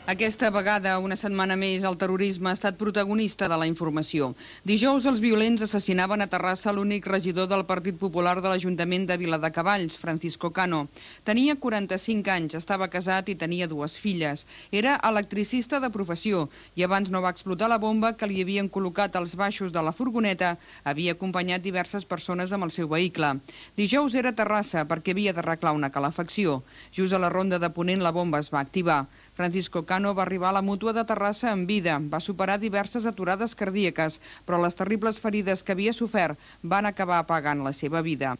Aquesta vegada, una setmana més, el terrorisme ha estat protagonista de la informació. Dijous, els violents assassinaven a Terrassa l'únic regidor del Partit Popular de l'Ajuntament de Viladecavalls, Francisco Cano. Tenia 45 anys, estava casat i tenia 2 filles. Era electricista de professió i abans no va explotar la bomba que li havien col·locat als baixos de la furgoneta, havia acompanyat diverses persones amb el seu vehicle. Dijous era a Terrassa perquè havia d'arreglar una calefacció. Just a la ronda de Ponent la bomba es va activar. Francisco Cano va arribar a la Mútua de Terrassa en vida, va superar diverses aturades cardíaques, però les terribles ferides que havia sofert van acabar apagant la seva vida.